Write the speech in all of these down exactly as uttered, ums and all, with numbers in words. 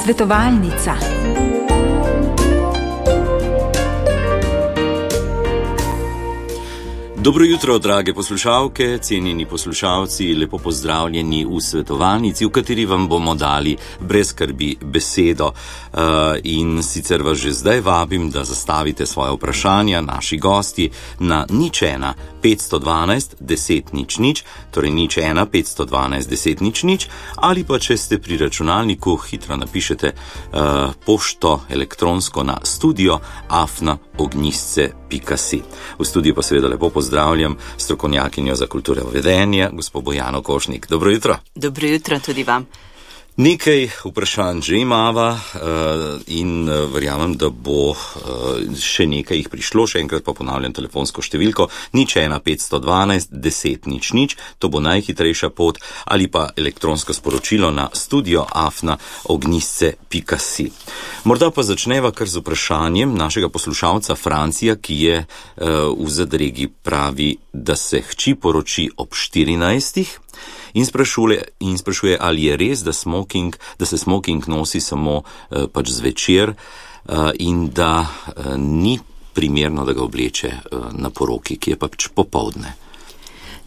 Svetovalnica. Dobro jutro, drage poslušalke, cenjeni poslušalci, lepo pozdravljeni v svetovalnici, v kateri vam bomo dali brez skrbi besedo. In sicer vas že zdaj vabim, da zastavite svoje vprašanja naši gosti na nič ena petsto dvanajst deset nič nič, torej nič ena petsto dvanajst deset nič nič, ali pa če ste pri računalniku, hitro napišete uh, pošto elektronsko na studio afna ognjisce pika si. V studiu pa seveda lepo pozdravljam strokovnjakinjo za kulturo vedenja, gospo Bojano Košnik. Dobro jutro. Dobro jutro tudi vam. Nekaj vprašanj že imava in verjamem, da bo še nekaj jih prišlo. Še enkrat pa ponavljam telefonsko številko nič ena petsto dvanajst deset nič nič, to bo najhitrejša pot, ali pa elektronsko sporočilo na studio afna ognjisce pika si. Morda pa začneva kar z vprašanjem našega poslušalca Francija, ki je v zadregi, pravi, da se hči poroči ob štirinajstih. In sprašuje, in sprašuje, ali je res, da, smoking, da se smoking nosi samo eh, pač zvečer eh, in da eh, ni primerno, da ga obleče eh, na poroki, ki je pač popoldne.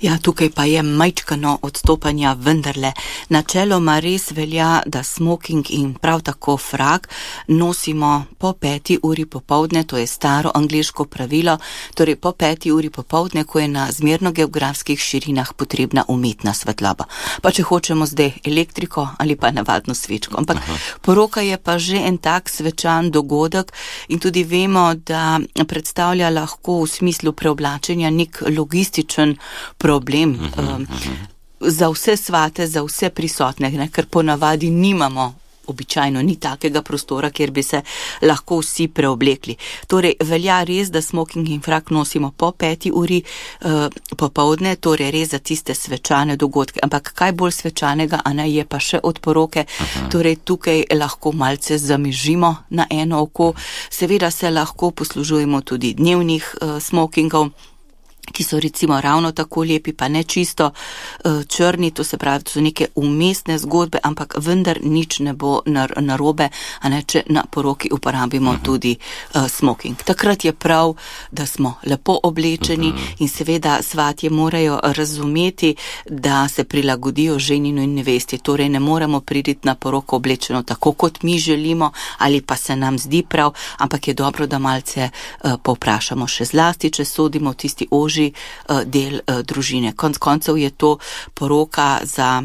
Ja, tukaj pa je majčkano odstopanja, vendarle. Načeloma res velja, da smoking in prav tako frak nosimo po peti uri popoldne, to je staro angleško pravilo, torej po peti uri popoldne, ko je na zmerno geografskih širinah potrebna umetna svetloba. Pa če hočemo zdaj elektriko ali pa navadno svečko. Ampak Aha. poroka je pa že en tak svečan dogodek in tudi vemo, da predstavlja lahko v smislu preoblačenja nek logističen problem um, za vse svate, za vse prisotne, ne, ker ponavadi nimamo, običajno ni takega prostora, kjer bi se lahko vsi preoblekli. Torej, velja res, da smoking in frak nosimo po peti uri uh, popoldne, torej res za tiste svečane dogodke. Ampak kaj bolj svečanega, a ne, je pa še od poroke, Aha. torej tukaj lahko malce zamižimo na eno oko. Seveda se lahko poslužujemo tudi dnevnih uh, smokingov, ki so recimo ravno tako lepi, pa ne čisto uh, črni, to se pravi, to so neke umestne zgodbe, ampak vendar nič ne bo narobe, a ne, če na poroki uporabimo uh-huh. tudi uh, smoking. Takrat je prav, da smo lepo oblečeni uh-huh. in seveda svatje morajo razumeti, da se prilagodijo ženinu in nevesti, torej ne moremo priti na poroko oblečeno tako, kot mi želimo, ali pa se nam zdi prav, ampak je dobro, da malce uh, povprašamo še zlasti, če sodimo tisti oži del uh, družine. Konc koncev je to poroka za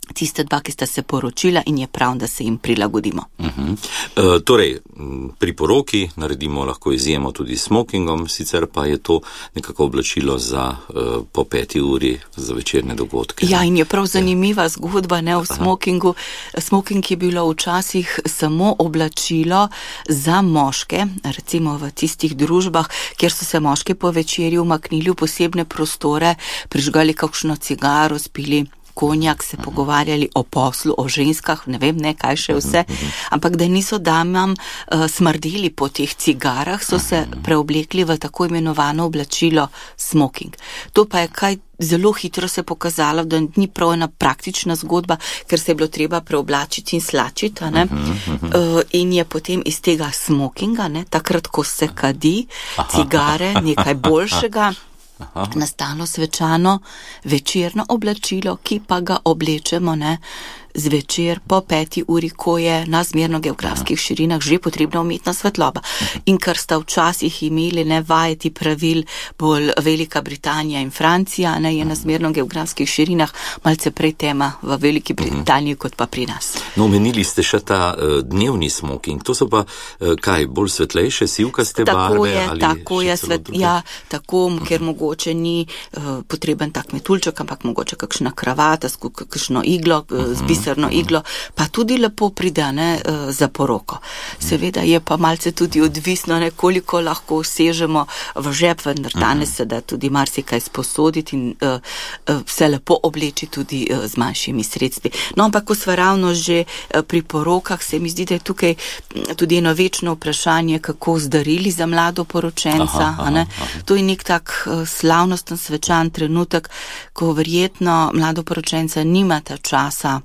tiste dva, ki sta se poročila in je prav, da se jim prilagodimo. Uh-huh. Uh, torej, pri poroki naredimo lahko izjemo tudi s smokingom, sicer pa je to nekako oblačilo za uh, po peti uri za večerne dogodke. Ja, in je prav zanimiva ja. zgodba, ne, v smokingu. Smoking je bilo včasih samo oblačilo za moške, recimo v tistih družbah, kjer so se moški po večerji umaknili v posebne prostore, prižgali kakšno cigaro, spili konjak, se pogovarjali o poslu, o ženskah, ne vem, ne, kaj še vse, ampak da niso damam uh, smrdeli po teh cigarah, so se preoblekli v tako imenovano oblačilo smoking. To pa je kaj zelo hitro se pokazalo, da ni prav ena praktična zgodba, ker se je bilo treba preoblačiti in slačiti, ne, uh, in je potem iz tega smokinga, ne, takrat, ko se kadi, cigare, nekaj boljšega, Aha. nastalo svečano večerno oblačilo, ki pa ga oblečemo, ne, zvečer po peti uri, ko je na zmerno geografskih širinah že potrebna umetna svetloba. In ker sta včasih imeli ne vajeti pravil bolj Velika Britanija in Francija, ne, je na zmerno geografskih širinah malce prej tema v Veliki Britaniji kot pa pri nas. No, omenili ste še ta uh, dnevni smoking, to so pa uh, kaj, bolj svetlejše, sivkaste tako barve? Je, ali tako je, svet, ja, tako, ker mogoče ni uh, potreben tak metulček, ampak mogoče kakšna kravata, kakšno iglo, uh, z biserno iglo, pa tudi lepo pridane uh, za poroko. Seveda je pa malce tudi odvisno, ne, koliko lahko vsežemo v žep, vendar danes se da tudi marsikaj sposoditi in uh, uh, se lepo obleči tudi uh, z manjšimi sredstvi. No, ampak ko sva ravno že uh, pri porokah, se mi zdi, da je tukaj tudi eno večno vprašanje, kako z darili za mlado poročenca. Aha, aha, aha. To je nek tak uh, slavnosten, svečan trenutek, ko verjetno mlado poročenca nimata časa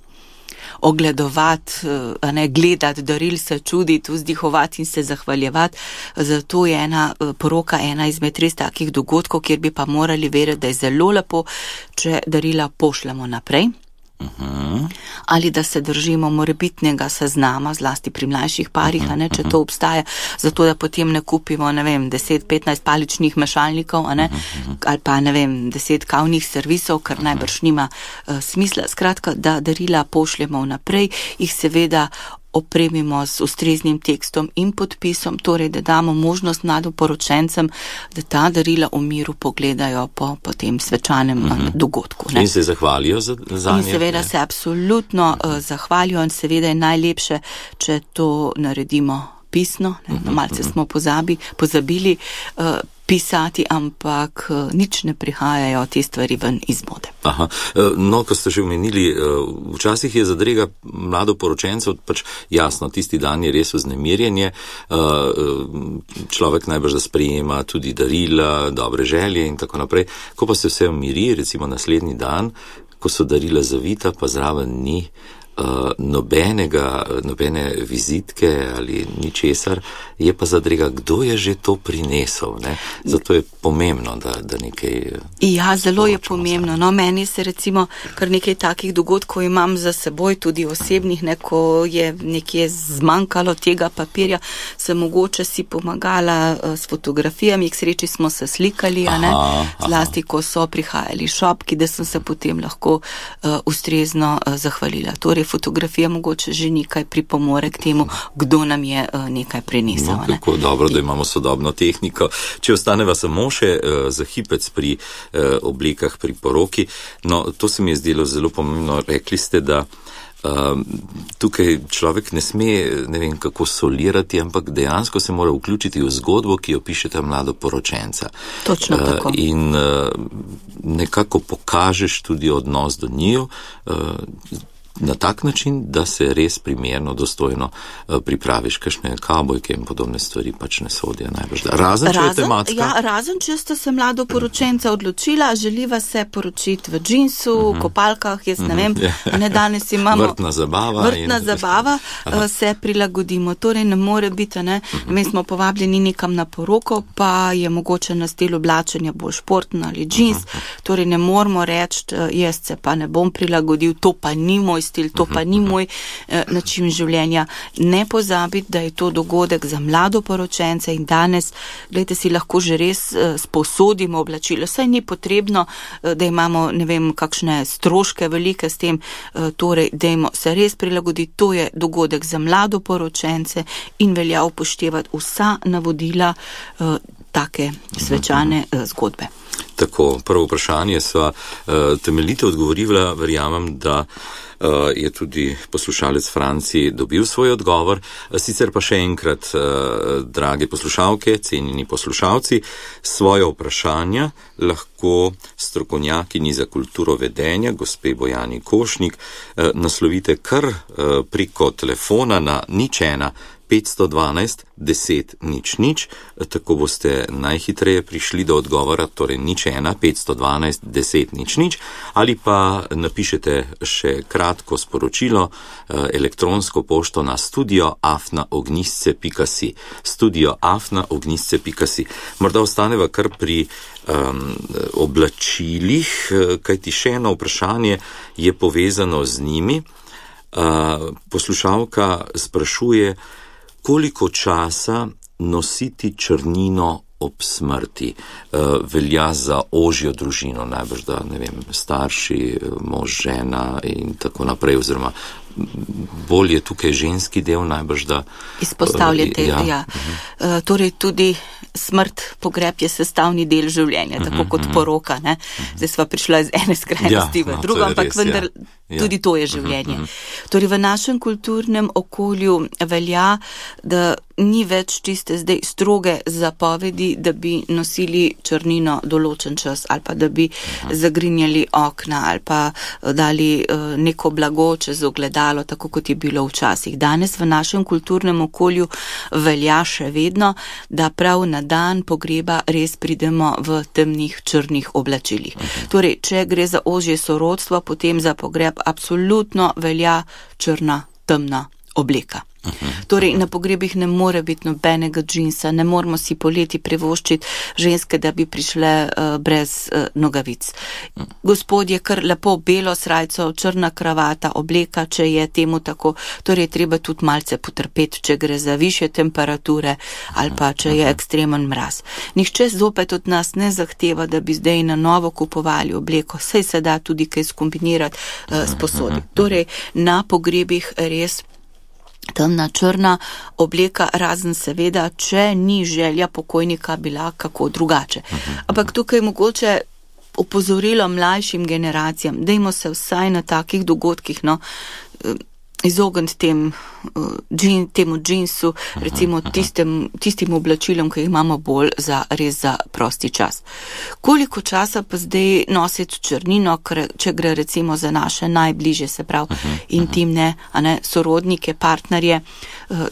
ogledovati, a ne gledati daril, se čuditi, vzdihovati in se zahvaljevati. Zato je ena poroka ena izmed res takih dogodkov, kjer bi pa morali verjeti, da je zelo lepo, če darila pošljemo naprej. Uh-huh. Ali da se držimo morebitnega seznama, zlasti pri mlajših parih, a ne, če to obstaja, zato da potem ne kupimo, ne vem, deset petnajst paličnih mešalnikov, a ne, ali pa, ne vem, deset kavnih servisov, kar najbrž nima uh, smisla. Skratka, da darila pošljemo naprej, jih seveda opremimo z ustreznim tekstom in podpisom, torej da damo možnost mladoporočencem, da ta darila v miru pogledajo po, po tem svečanem uh-huh. dogodku. Ne? In se zahvalijo za, za In nje, seveda ne? se absolutno uh, zahvalijo in seveda je najlepše, če to naredimo pisno, ne? No, malce smo pozabi, pozabili uh, pisati, ampak uh, nič ne prihajajo te stvari ven iz mode. Aha, no, ko ste že omenili, včasih je zadrega mladoporočencev, pač jasno, tisti dan je res vznemirjenje, človek najbrž da sprejema tudi darila, dobre želje in tako naprej. Ko pa se vse umiri, recimo naslednji dan, ko so darila zavita, pa zraven ni Uh, nobenega, nobene vizitke ali ničesar, je pa zadrega, kdo je že to prinesel, ne? Zato je pomembno, da, da nekaj... Ja, zelo je pomembno. No, meni se recimo kar nekaj takih dogodkov imam za seboj, tudi osebnih, ne, ko je nekje zmanjkalo tega papirja, sem mogoče si pomagala uh, s fotografijami, k sreči smo se slikali, a ne? Aha, Zlasti, ko so prihajali šopki, da sem se potem lahko uh, ustrezno uh, zahvalila. Torej, fotografija mogoče že nekaj pripomore k temu, kdo nam je uh, nekaj prinesel. No, kako dobro, da imamo sodobno tehniko. Če ostaneva samo še uh, za hipec pri uh, oblikah, pri poroki, no, to se mi je zdelo zelo pomembno. Rekli ste, da Uh, tukaj človek ne sme, ne vem kako solirati, ampak dejansko se mora vključiti v zgodbo, ki jo pišeta mladoporočenca. Točno uh, tako. In uh, nekako pokažeš tudi odnos do njiju, uh, na tak način, da se res primerno, dostojno uh, pripraviš, kakšne kavbojke in podobne stvari pač ne sodijo najbolj. Razen, če je tematska. Ja, razen, če ste se mladoporočenca odločila, želiva se poročiti v džinsu, uh-huh. kopalkah, jaz ne vem, uh-huh. ne danes imamo... Vrtna zabava. Vrtna in... zabava, uh, se prilagodimo. Torej ne more biti, ne, uh-huh. mi smo povabljeni nekam na poroko, pa je mogoče na stil oblačenja bolj športno ali džins, uh-huh. torej ne moramo reči, jaz se pa ne bom prilagodil, to pa ni moj stil, to pa ni moj eh, način življenja. Ne pozabiti, da je to dogodek za mladoporočence in danes, gledajte, si lahko že res eh, sposodimo oblačilo. Saj ni potrebno, eh, da imamo, ne vem, kakšne stroške velike s tem, eh, torej, dajmo se res prilagoditi. To je dogodek za mladoporočence in velja upoštevati vsa navodila eh, take svečane eh, zgodbe. Tako, prvo vprašanje sva uh, temeljito odgovorila, verjamem, da uh, je tudi poslušalec Franci dobil svoj odgovor. Sicer pa še enkrat, uh, drage poslušalke, cenjeni poslušalci, svoje vprašanja lahko strokovnjakinji za kulturo vedenja, gospe Bojani Košnik, uh, naslovite kar uh, preko telefona na nič ena petsto dvanajst deset nič nič, tako boste najhitreje prišli do odgovora, torej nič ena petsto dvanajst deset nič nič, ali pa napišete še kratko sporočilo, elektronsko pošto na studio afna ognjisce pika si. Studio afna ognjisce pika si. Morda ostaneva kar pri um, oblačilih, kajti še eno vprašanje je povezano z njimi. Uh, poslušalka sprašuje, koliko časa nositi črnino ob smrti uh, velja za ožjo družino, najbrž da, ne vem, starši, mož, žena in tako naprej, oziroma bolj je tukaj ženski del, najbrž da... Izpostavljate, uh, ja. ja. Uh, torej tudi smrt, pogreb je sestavni del življenja, uh-huh, tako kot uh-huh. poroka, ne. Zdaj sva prišla iz ene skrajnosti ja, v drugo, no, ampak res, vendar ja. tudi to je življenje. Uh-huh, uh-huh. Torej v našem kulturnem okolju velja, da ni več tiste zdaj stroge zapovedi, da bi nosili črnino določen čas ali pa da bi uh-huh. zagrinjali okna ali pa dali uh, neko blago čez ogledalo, tako kot je bilo včasih. Danes v našem kulturnem okolju velja še vedno, da prav na dan pogreba res pridemo v temnih črnih oblačilih. Torej, če gre za ožje sorodstvo, potem za pogreb absolutno velja črna, temna obleka. Torej, na pogrebih ne more biti nobenega džinsa, ne moramo si poleti privoščiti ženske, da bi prišle uh, brez uh, nogavic. Gospodje, kar lepo belo srajco, črna kravata, obleka, če je temu tako, torej treba tudi malce potrpeti, če gre za višje temperature ali pa če je ekstremen mraz. Nihče zopet od nas ne zahteva, da bi zdaj na novo kupovali obleko, saj se da tudi kaj skombinirati uh, s posodi. Torej, na pogrebih res temna črna obleka, razen seveda, če ni želja pokojnika bila kako drugače. Ampak tukaj mogoče opozorilo mlajšim generacijam, dajmo se vsaj na takih dogodkih, no, izogniti tem, džin, temu džinsu, recimo tistem, tistim oblačilom, ki jih imamo bolj za, res za prosti čas. Koliko časa pa zdaj nositi črnino, če gre recimo za naše najbližje, se pravi intimne, a ne, sorodnike, partnerje.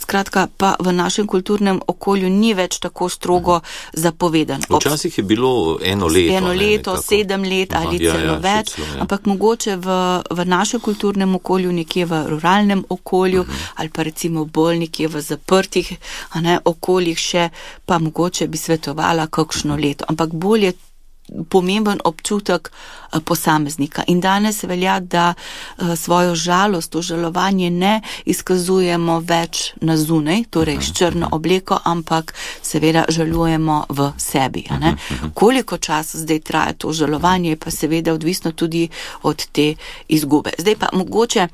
Skratka, pa v našem kulturnem okolju ni več tako strogo zapovedan. Včasih je bilo eno leto. Eno leto, ne, sedem let ali Aha, celo ja, ja, več, celo, ja. Ampak mogoče v, v našem kulturnem okolju, nekje v ruralnem okolju, uh-huh. ali pa recimo bolj nekje v zaprtih, a ne, okoljih še, pa mogoče bi svetovala kakšno leto. Ampak bolj je pomemben občutek posameznika. In danes velja, da svojo žalost, užalovanje ne izkazujemo več na zunaj, torej s črno obleko, ampak seveda žalujemo v sebi. A ne? Koliko časa zdaj traja to žalovanje, pa seveda odvisno tudi od te izgube. Zdaj pa mogoče,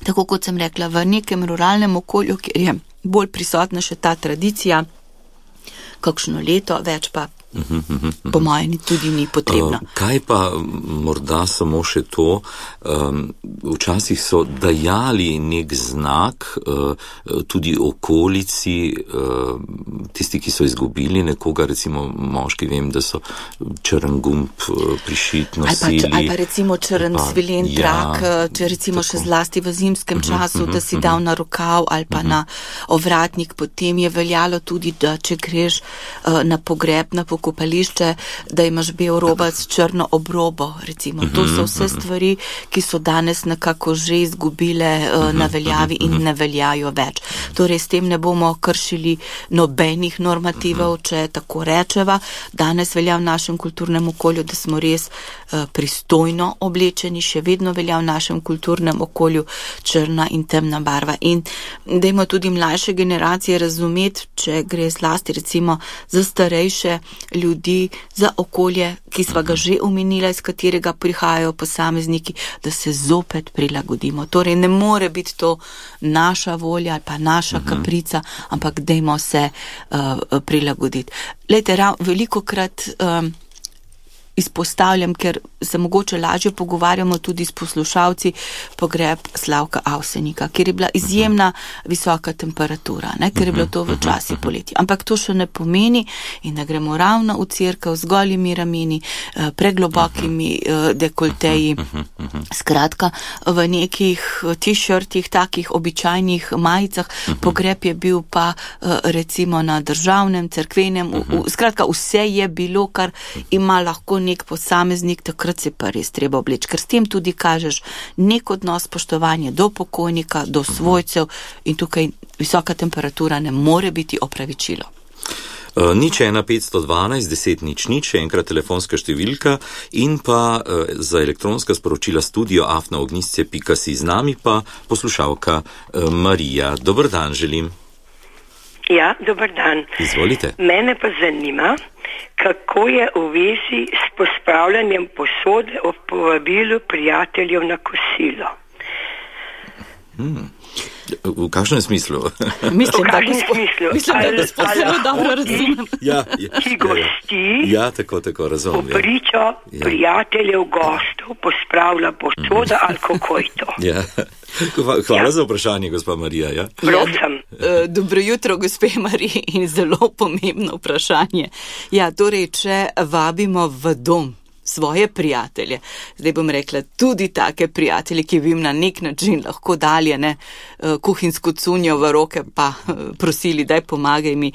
tako kot sem rekla, v nekem ruralnem okolju, kjer je bolj prisotna še ta tradicija, kakšno leto, več pa po mojem tudi ni potrebno. Uh, kaj pa morda samo še to, um, včasih so dajali nek znak uh, tudi okolici, uh, tisti, ki so izgubili nekoga, recimo moški, vem, da so črn gumb uh, prišit nosili. Ali pa, ali pa recimo črn svilen ja, trak, če recimo tako. Še zlasti v zimskem uh-huh, času, uh-huh, da si uh-huh. dal na rokav ali pa uh-huh. na ovratnik, potem je veljalo tudi, da če greš uh, na pogreb, na pokopališče, da imaš bel robac s črno obrobo, recimo. To so vse stvari, ki so danes nekako že izgubile uh, na veljavi in ne veljajo več. Torej, s tem ne bomo kršili nobenih normativov, če tako rečeva. Danes velja v našem kulturnem okolju, da smo res uh, pristojno oblečeni, še vedno velja v našem kulturnem okolju črna in temna barva. In dajmo tudi mlajše generacije razumeti, če gre zlasti recimo za starejše ljudi, za okolje, ki sva ga že omenila, iz katerega prihajajo posamezniki, da se zopet prilagodimo. Torej, ne more biti to naša volja ali pa naša kaprica, ampak dajmo se uh, prilagoditi. Lejte, velikokrat um, izpostavljam, ker se mogoče lažje pogovarjamo tudi s poslušalci, pogreb Slavka Avsenika, kjer je bila izjemna visoka temperatura, ne, ker je bilo to v časi poleti. Ampak to še ne pomeni, in da gremo ravno v cerkev z golimi rameni, preglobokimi dekolteji. Skratka, v nekih t-shirtih, takih običajnih majicah, pogreb je bil pa recimo na državnem, cerkvenem, skratka, vse je bilo, kar ima lahko nek posameznik, takrat se pa res treba obleči, ker s tem tudi kažeš nek odnos spoštovanja do pokojnika, do svojcev in tukaj visoka temperatura ne more biti opravičilo. Uh, nič ena petsto dvanajst deset nič nič, enkrat telefonska številka in pa uh, za elektronska sporočila studio afna ognjisce pika si, z nami pa poslušalka uh, Marija. Dober dan želim. Ja, dober dan. Izvolite. Mene pa zanima, kako je v vezi s pospravljanjem posode ob povabilu prijateljev na kosilo. Hmm. V kakšnem smislu? Mislim, v kakšnem da smislu? Mislim, da gospod zelo dobro razumem. Ja, ja, ki gosti ja, tako, tako, razumem, v pričo ja. prijateljev gostov pospravlja posoda ali kako je to. Ja. Hvala ja. za vprašanje, gospa Marija. Ja? Prosim. Ja, dobro jutro, gospe Mariji, in zelo pomembno vprašanje. Ja, torej, če vabimo v dom svoje prijatelje. Zdaj bom rekla, tudi take prijatelje, ki bi jim na nek način lahko dali, ne, kuhinjsko cunjo v roke, pa prosili, daj pomagaj mi.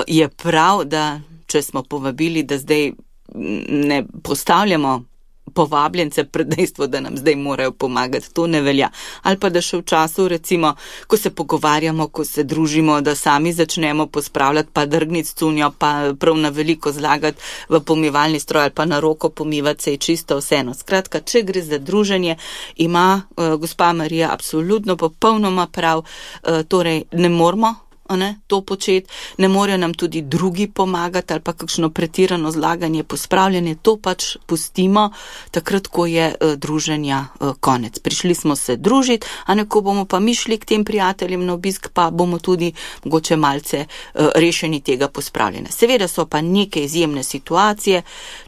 Je prav, da če smo povabili, da zdaj ne postavljamo povabljence pred dejstvo, da nam zdaj morajo pomagati, to ne velja. Ali pa da še v času, recimo, ko se pogovarjamo, ko se družimo, da sami začnemo pospravljati, pa drgniti cunjo, pa prav na veliko zlagati v pomivalni stroj ali pa na roko pomivati, se je čisto vseeno. Skratka, če gre za druženje, ima uh, gospa Marija absolutno popolnoma prav, uh, torej ne moramo Ne, to početi, ne morejo nam tudi drugi pomagati ali pa kakšno pretirano zlaganje, pospravljanje, to pač pustimo takrat, ko je uh, druženja uh, konec. Prišli smo se družiti, a neko bomo pa mi šli k tem prijateljem na obisk, pa bomo tudi mogoče malce uh, rešeni tega pospravljanja. Seveda so pa neke izjemne situacije,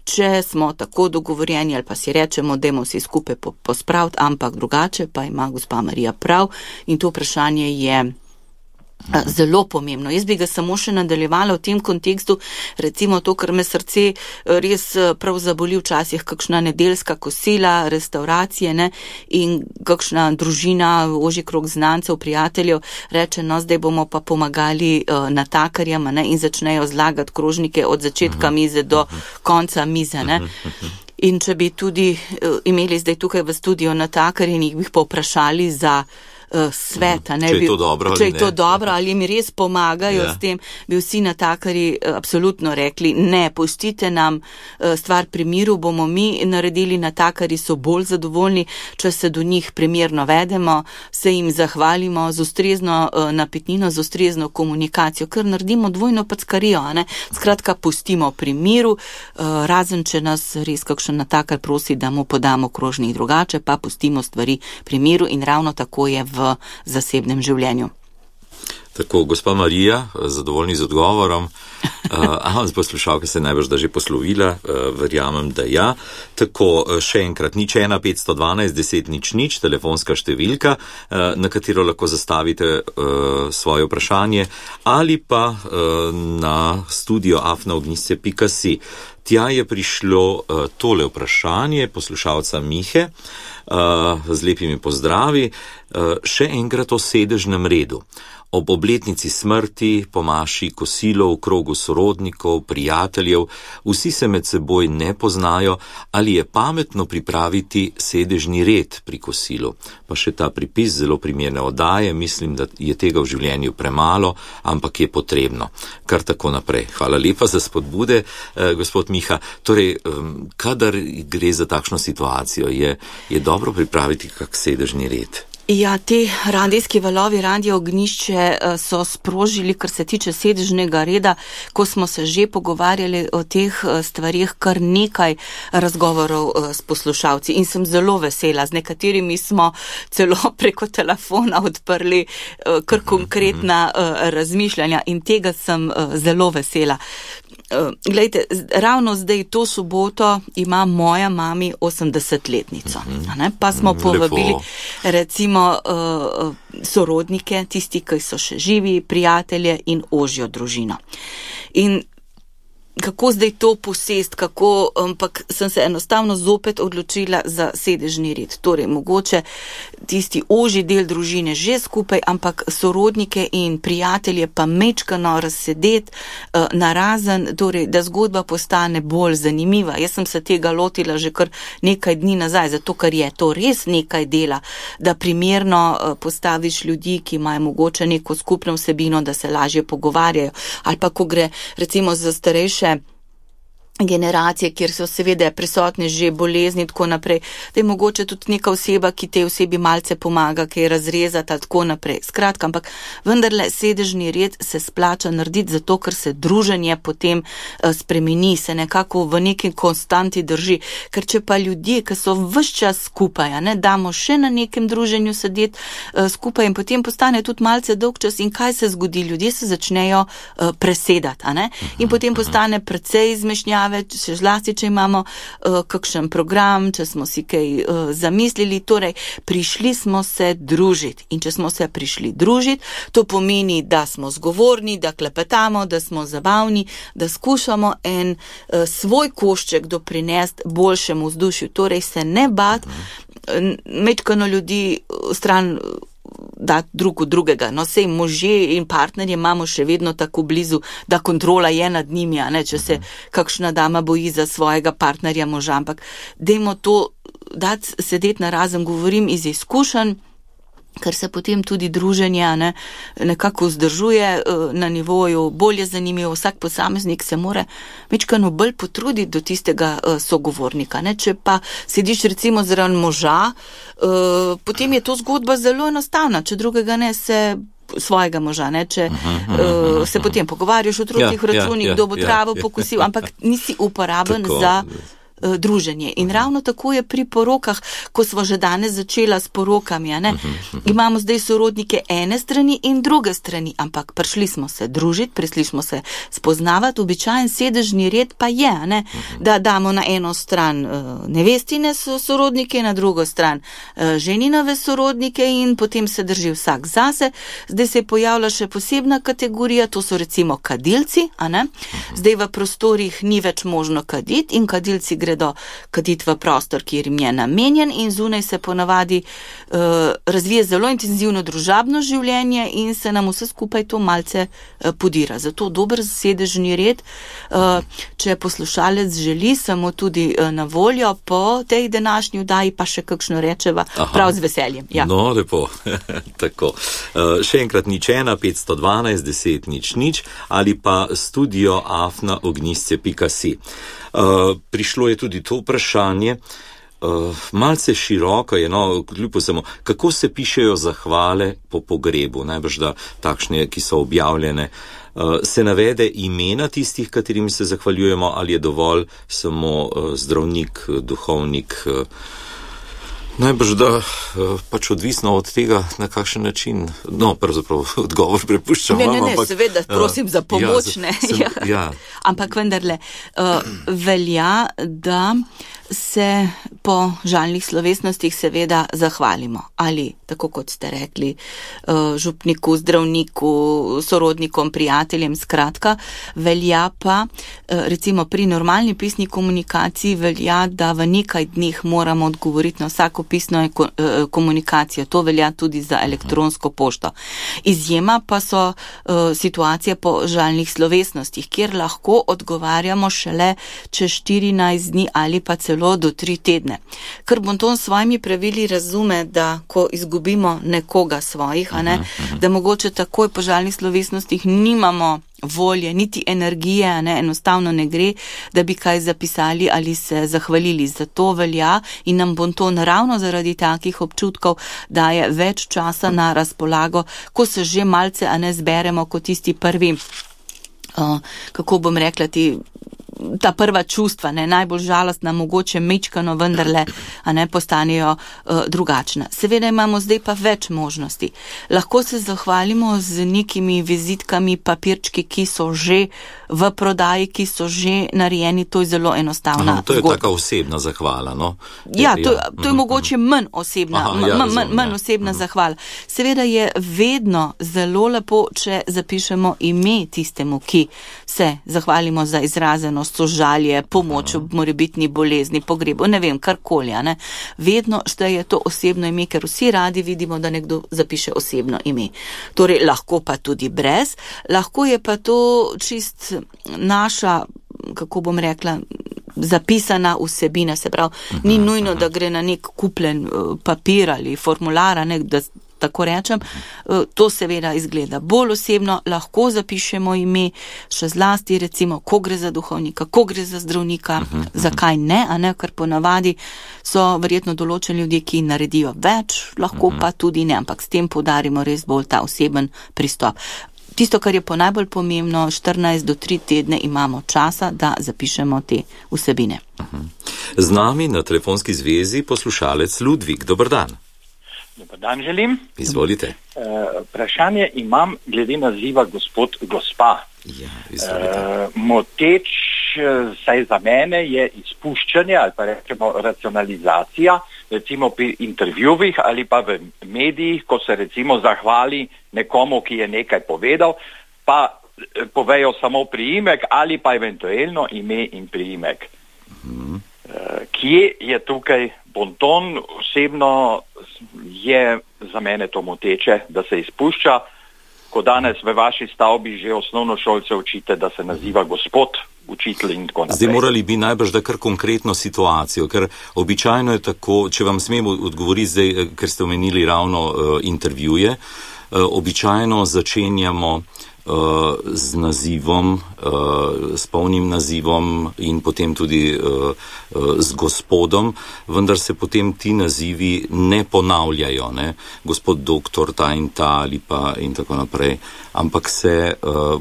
če smo tako dogovorjeni ali pa si rečemo, dajmo si skupaj po, pospraviti, ampak drugače pa ima gospa Marija prav in to vprašanje je zelo pomembno. Jaz bi ga samo še nadaljevala v tem kontekstu, recimo to, kar me srce res prav zaboli včasih, kakšna nedeljska kosila, restauracije, ne, in kakšna družina, ožji krog znancev, prijateljev, reče, no, zdaj bomo pa pomagali uh, natakarjem, ne, in začnejo zlagati krožnike od začetka mize do konca mize, ne. In če bi tudi uh, imeli zdaj tukaj v studiu natakarje in jih bi povprašali za sveta, ne, če je to dobro, če je to dobro ali mi res pomagajo ja. S tem, bi vsi natakari absolutno rekli, ne, pustite nam stvar pri miru, bomo mi naredili, natakari so bolj zadovoljni, če se do njih primerno vedemo, se jim zahvalimo z ustrezno napitnino, z ustrezno komunikacijo, ker naredimo dvojno packarijo, ne, skratka, pustimo pri miru, razen če nas res kakšen natakar prosi, da mu podamo krožnik drugače, pa pustimo stvari pri miru in ravno tako je v v zasebnem življenju. Tako, gospa Marija, zadovoljni z odgovorom. Aha, poslušalka se najbrž da že poslovila, verjamem, da ja. Tako, še enkrat, nič ena petsto dvanajst deset nič nič, telefonska številka, na katero lahko zastavite svoje vprašanje, ali pa na studio afna ognjišče pika si. Tja je prišlo tole vprašanje poslušalca Mihe, z lepimi pozdravi, še enkrat o sedežnem redu. Ob obletnici smrti, po maši kosilo v krogu sorodnikov, prijateljev, vsi se med seboj ne poznajo, ali je pametno pripraviti sedežni red pri kosilu. Pa še ta pripis, zelo primerne oddaje, mislim, da je tega v življenju premalo, ampak je potrebno. Kar tako naprej. Hvala lepa za spodbude, eh, gospod Miha. Torej, um, kadar gre za takšno situacijo, je, je dobro pripraviti kak sedežni red. Ja, te radijski valovi, Radio Ognjišče so sprožili, kar se tiče sedežnega reda, ko smo se že pogovarjali o teh stvarih, kar nekaj razgovorov s poslušalci in sem zelo vesela. Z nekaterimi smo celo preko telefona odprli kar konkretna razmišljanja in tega sem zelo vesela. Glejte, ravno zdaj to soboto ima moja mami osemdesetletnico, ne? Pa smo povabili recimo uh, sorodnike, tisti, ki so še živi, prijatelje in ožjo družino. In kako zdaj to posest, kako, ampak sem se enostavno zopet odločila za sedežni red. Torej, mogoče tisti ožji del družine že skupaj, ampak sorodnike in prijatelje pa mečkano razsedeti uh, narazen, torej, da zgodba postane bolj zanimiva. Jaz sem se tega lotila že kar nekaj dni nazaj, zato ker je to res nekaj dela, da primerno uh, postaviš ljudi, ki imajo mogoče neko skupno vsebino, da se lažje pogovarjajo. Ali pa, ko gre recimo za starejše generacije, kjer so seveda prisotne že bolezni in tako naprej, da je mogoče tudi neka oseba, ki tej osebi malce pomaga, ki je razrezata, tako naprej. Skratka, ampak vendarle sedežni red se splača narediti zato, ker se druženje potem uh, spremeni, se nekako v neki konstanti drži. Ker če pa ljudje, ki so ves čas skupaj, ne, damo še na nekem druženju sedeti uh, skupaj in potem postane tudi malce dolg čas in kaj se zgodi? Ljudje se začnejo uh, presedati, a ne? In potem postane precej izmešnjave zabave, še zlasti, če imamo uh, kakšen program, če smo si kaj uh, zamislili, torej prišli smo se družiti in če smo se prišli družiti, to pomeni, da smo zgovorni, da klepetamo, da smo zabavni, da skušamo en uh, svoj košček doprinesti boljšemu vzdušju, torej se ne bat, mečkano ljudi stran da drug od drugega. No, sej možje in partnerje imamo še vedno tako blizu, da kontrola je nad njimi, a ne, če se kakšna dama boji za svojega partnerja moža, ampak dajmo to dati sedeti na razen, govorim iz izkušenj, ker se potem tudi druženje ne, nekako vzdržuje na nivoju, bolje zanimivo, vsak posameznik se mora mečkano bolj potruditi do tistega sogovornika. Ne. Če pa sediš recimo zraven moža, potem je to zgodba zelo enostavna, če drugega ne se svojega moža, ne, če uh, se potem pogovarjaš o otrocih v računih, ja, ja, kdo bo ja, travo ja, pokusil, ja. ampak nisi uporaben tako za druženje. In ravno tako je pri porokah, ko smo že danes začela s porokami, ne? Imamo zdaj sorodnike ene strani in druge strani, ampak prišli smo se družiti, prišli smo se spoznavati, običajen sedežni red pa je, ne? Da damo na eno stran nevestine sorodnike, na drugo stran ženinove sorodnike in potem se drži vsak zase. Zdaj se je pojavila še posebna kategorija, to so recimo kadilci, a ne? Zdaj v prostorih ni več možno kaditi in kadilci gre do kaditi v prostor, kjer jim je namenjen in zunaj se ponavadi uh, razvije zelo intenzivno družabno življenje in se nam vse skupaj to malce uh, podira. Zato dober sedežni red, uh, če poslušalec želi, samo tudi uh, na voljo po tej današnji vdaji pa še kakšno rečeva. Aha. Prav z veseljem. Ja. No, lepo. Tako. Uh, še enkrat nič ena, petsto dvanajst, deset, nič, nič ali pa studio afna ognjisce pika si. Uh, prišlo je tudi to vprašanje, uh, malce široko je, no, kljub vsemu, kako se pišejo zahvale po pogrebu, najbrž da takšne, ki so objavljene, uh, se navede imena tistih, katerim se zahvaljujemo, ali je dovolj samo uh, zdravnik, duhovnik, uh, najbrž da pač odvisno od tega, na kakšen način, no, pravzaprav odgovor prepuščam. Ne, ne, ne, ampak, seveda, prosim za pomoč, ja, ne. Sem, ja. Ja. Ampak vendarle, uh, velja, da se po žalnih slovesnostih seveda zahvalimo. Ali, tako kot ste rekli, župniku, zdravniku, sorodnikom, prijateljem, skratka, velja pa, recimo pri normalni pisni komunikaciji velja, da v nekaj dneh moramo odgovoriti na vsako pisno komunikacijo. To velja tudi za elektronsko pošto. Izjema pa so situacije po žalnih slovesnostih, kjer lahko odgovarjamo šele čez štirinajst dni ali pa celo do tri tedne. Ker Bonton s svojimi pravili razume, da ko izgubimo nekoga svojih, a ne, da mogoče takoj po žalnih slovesnostih nimamo volje, niti energije, a ne, enostavno ne gre, da bi kaj zapisali ali se zahvalili. Zato velja in nam Bonton ravno zaradi takih občutkov daje več časa na razpolago, ko se že malce, a ne, zberemo kot tisti prvi, uh, kako bom rekla, ti ta prva čustva, ne, najbolj žalostna, mogoče mečkano, vendarle, a ne, postanejo uh, drugačna. Seveda imamo zdaj pa več možnosti. Lahko se zahvalimo z nekimi vizitkami, papirčki, ki so že v prodaji, ki so že narejeni, to je zelo enostavna Aha, to je zgodba. Taka osebna zahvala, no? Ja, to, ja. to je mogoče manj osebna, Aha, ja, manj, manj, manj osebna zahvala. Seveda je vedno zelo lepo, če zapišemo ime tistemu, ki se zahvalimo za izrazenost, sožalje, pomoč ob morebitni bolezni, pogrebu, ne vem, karkoli, ne. Vedno šteje to osebno ime, ker vsi radi vidimo, da nekdo zapiše osebno ime. Torej, lahko pa tudi brez, lahko je pa to čist naša, kako bom rekla, zapisana vsebina, se pravi, ni nujno, da gre na nek kupljen papir ali formular, ne, da tako rečem, to seveda izgleda bolj osebno, lahko zapišemo ime, še zlasti recimo, ko gre za duhovnika, ko gre za zdravnika, uh -huh, zakaj ne, a ne, ker ponavadi so verjetno določeni ljudje, ki naredijo več, lahko uh -huh. pa tudi ne, ampak s tem poudarimo res bolj ta oseben pristop. Tisto, kar je po najbolj pomembno, štirinajst do tri tedne imamo časa, da zapišemo te vsebine. Uh -huh. Z nami na telefonski zvezi poslušalec Ludvik, dober dan. Dobar dan želim. Izvolite. Uh, vprašanje imam glede naziva gospod, gospa. Ja, izvolite. Uh, moteč saj za mene je izpuščanje ali pa rečemo racionalizacija, recimo pri intervjuvih ali pa v medijih, ko se recimo zahvali nekomu, ki je nekaj povedal, pa povejo samo priimek ali pa eventualno ime in priimek. Mm. Kje je tukaj bonton? Osebno je za mene to moteče, da se izpušča, ko danes v vaši stavbi že osnovnošolce učite, da se naziva gospod učitelj in tako naprej. Zdaj morali bi najbrž da kar konkretno situacijo, ker običajno je tako, če vam smem odgovoriti zdaj, ker ste omenili ravno uh, intervjuje, uh, običajno začenjamo z nazivom, s polnim nazivom in potem tudi z gospodom, vendar se potem ti nazivi ne ponavljajo, ne? Gospod doktor ta in ta ali pa in tako naprej, ampak se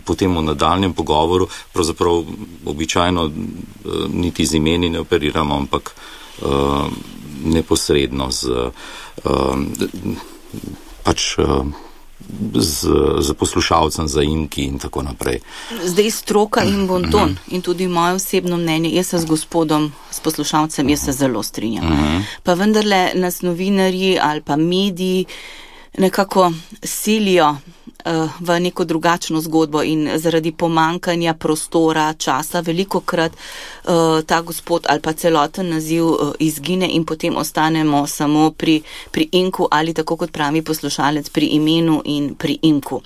potem v nadaljnjem pogovoru, pravzaprav običajno niti z imeni ne operiramo, ampak neposredno z pač Z, z poslušalcem, zaimki in tako naprej. Zdaj stroka in bonton in tudi moje osebno mnenje, jaz se z gospodom, s poslušalcem, jaz se zelo strinjam. Uh-huh. Pa vendarle nas novinarji ali pa mediji nekako silijo uh, v neko drugačno zgodbo in zaradi pomankanja prostora, časa, veliko krat uh, ta gospod ali pa celoten naziv uh, izgine in potem ostanemo samo pri, pri imku ali tako kot pravi poslušalec pri imenu in pri imku.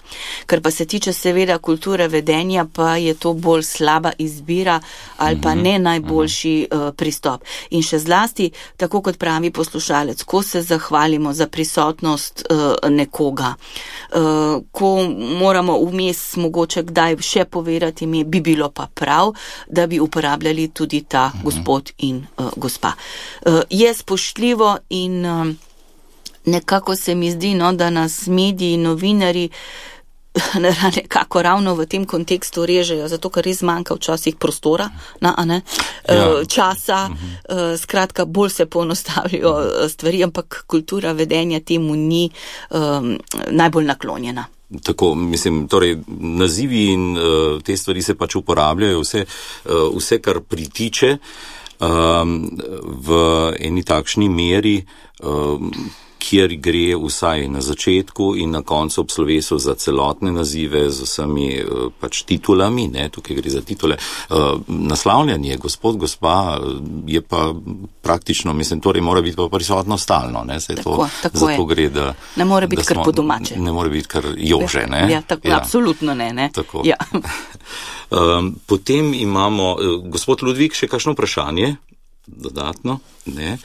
Kar pa se tiče seveda kulture vedenja, pa je to bolj slaba izbira ali pa ne najboljši uh, pristop. In še zlasti, tako kot pravi poslušalec, ko se zahvalimo za prisotnost uh, nekoga, uh, ko moramo vmes mogoče kdaj še povedati ime, bi bilo pa prav, da bi uporabljali tudi ta uh-huh. gospod in uh, gospa. Uh, je spoštljivo in uh, nekako se mi zdi, no, da nas mediji, novinari nekako ravno v tem kontekstu režejo, zato ker res manjka včasih prostora, na, a ne, ja. časa, uh-huh. skratka, bolj se poenostavljajo stvari, ampak kultura vedenja temu ni um, najbolj naklonjena. Tako, mislim, torej, nazivi in uh, te stvari se pač uporabljajo, vse, uh, vse kar pritiče um, v eni takšni meri, um, kjer gre vsaj na začetku in na koncu ob slovesu za celotne nazive z vsemi pač titulami, ne, tukaj gre za titule. Naslavljanje, gospod, gospa, je pa praktično, mislim, torej mora biti pa prisotno stalno, ne, se tako, to, tako zato je. Gre, da ne more biti smo, kar po domače. Ne more biti kar jože, ne. Ja, tako, ja. Absolutno ne, ne. Tako. Ja. um, potem imamo, gospod Ludvik, še kakšno vprašanje? Dodatno, ne.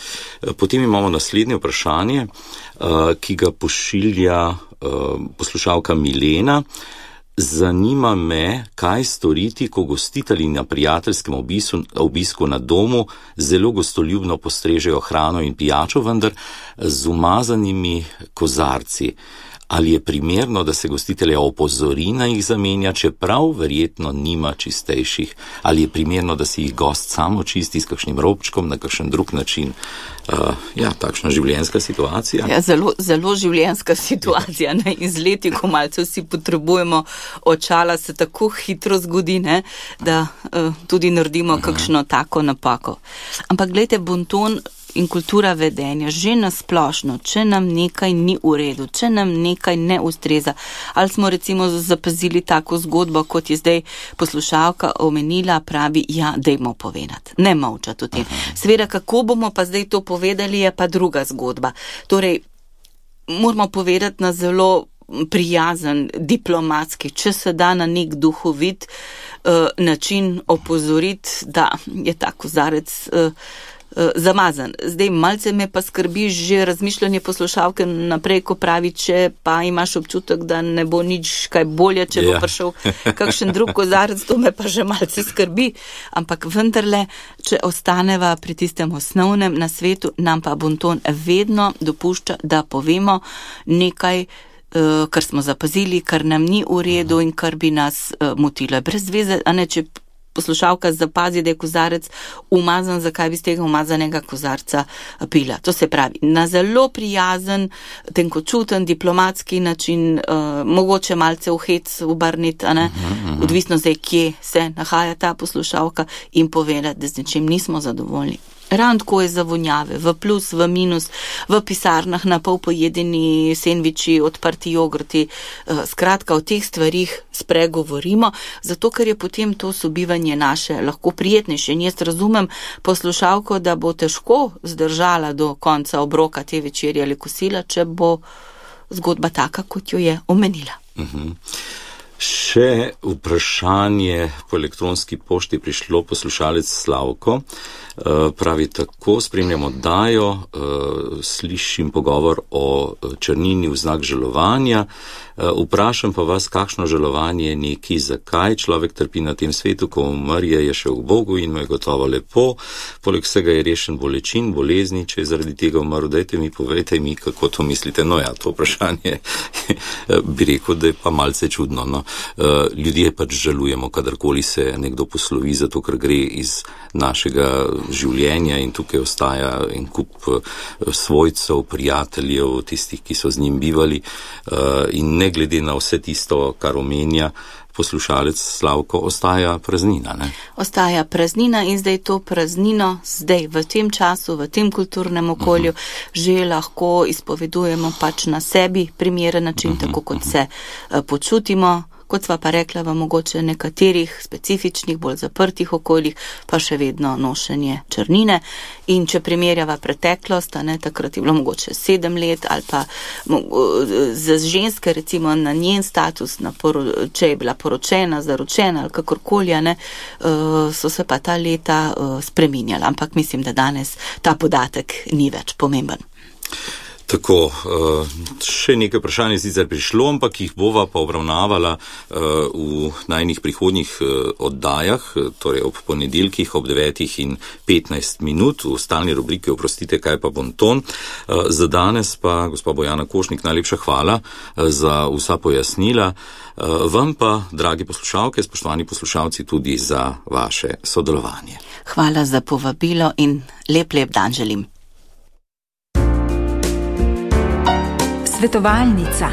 Potem imamo naslednje vprašanje, uh, ki ga pošilja uh, poslušalka Milena. Zanima me, kaj storiti, ko gostitelji na prijateljskem obisku, obisku na domu zelo gostoljubno postrežejo hrano in pijačo, vendar z umazanimi kozarci. Ali je primerno, da se gostitelja opozori na jih zamenja, čeprav verjetno nima čistejših? Ali je primerno, da si jih gost samo čisti s kakšnim robčkom na kakšen drug način? Uh, ja, takšna življenjska situacija. Ja, zelo, zelo življenjska situacija. Na izleti, ko malce vsi potrebujemo očala, se tako hitro zgodi, ne, da uh, tudi naredimo kakšno tako napako. Ampak glejte, bonton in kultura vedenja, že nasplošno, če nam nekaj ni v redu, če nam nekaj ne ustreza, ali smo recimo zapazili tako zgodbo, kot je zdaj poslušalka omenila, pravi, ja, dajmo povedati, ne molčati o tem. Seveda, kako bomo pa zdaj to povedali, je pa druga zgodba. Torej, moramo povedati na zelo prijazen, diplomatski, če se da na nek duhovit uh, način opozoriti, da je ta kozarec uh, zamazan. Zdaj, malce me pa skrbi že razmišljanje poslušalke naprej, ko pravi, če pa imaš občutek, da ne bo nič kaj bolje, če bo yeah. prišel kakšen drug kozarec, to me pa že malce skrbi. Ampak vendarle, če ostaneva pri tistem osnovnem na svetu, nam pa bonton vedno dopušča, da povemo nekaj, uh, kar smo zapazili, kar nam ni v redu in kar bi nas uh, motilo. Brez veze, a ne, če poslušalka zapazi, da je kozarec umazan, zakaj bi z tega umazanega kozarca pila. To se pravi, na zelo prijazen, tenkočuten, diplomatski način, uh, mogoče malce v hec obrniti, a ne, uh-huh. odvisno zdaj, kje se nahaja ta poslušalka in povedati, da z nečim nismo zadovoljni. Ravno tako je za vonjave, v plus, v minus, v pisarnah na pol pojedeni sendviči, odprti jogurti, skratka o teh stvarih spregovorimo, zato ker je potem to sobivanje naše lahko prijetnejše. In jaz razumem poslušalko, da bo težko zdržala do konca obroka te večerje ali kosila, če bo zgodba taka, kot jo je omenila. Mhm. Še vprašanje po elektronski pošti prišlo poslušalec Slavko. Pravi tako, spremljam oddajo, slišim pogovor o črnini v znak žalovanja. Vprašam pa vas, kakšno žalovanje je neki, zakaj človek trpi na tem svetu, ko umrje, je še v Bogu in mu je gotovo lepo. Poleg vsega je rešen bolečin, bolezni, če je zaradi tega umrl. Dajte mi, povejte mi, kako to mislite. No ja, to vprašanje bi rekel, da je pa malce čudno. No. Ljudje pač žalujemo, kadarkoli se nekdo poslovi, zato ker gre iz našega življenja in tukaj ostaja en kup svojcev, prijateljev, tistih, ki so z njim bivali, in ne glede na vse tisto, kar omenja poslušalec Slavko, ostaja praznina, ne? Ostaja praznina in zdaj to praznino, zdaj v tem času, v tem kulturnem okolju, uh-huh. že lahko izpovedujemo pač na sebi primeren način, uh-huh. tako kot se uh, počutimo. Kot sva pa rekla, v mogoče nekaterih specifičnih, bolj zaprtih okoljih, pa še vedno nošenje črnine. In če primerjava preteklost, a ne, takrat je bilo mogoče sedem let, ali pa za ženske, recimo na njen status, na poro, če je bila poročena, zaročena ali kakorkoli, a ne, so se pa ta leta spreminjala. Ampak mislim, da danes ta podatek ni več pomemben. Tako, še nekaj vprašanj je sicer prišlo, ampak jih bova pa obravnavala v najnih prihodnjih oddajah, torej ob ponedeljkih ob devetih in petnajst minut v stalni rubriki Oprostite, kaj pa bonton. Za danes pa, gospa Bojana Košnik, najlepša hvala za vsa pojasnila. Vam pa, dragi poslušalke, spoštovani poslušalci, tudi za vaše sodelovanje. Hvala za povabilo in lep, lep dan želim. Svetovalnica.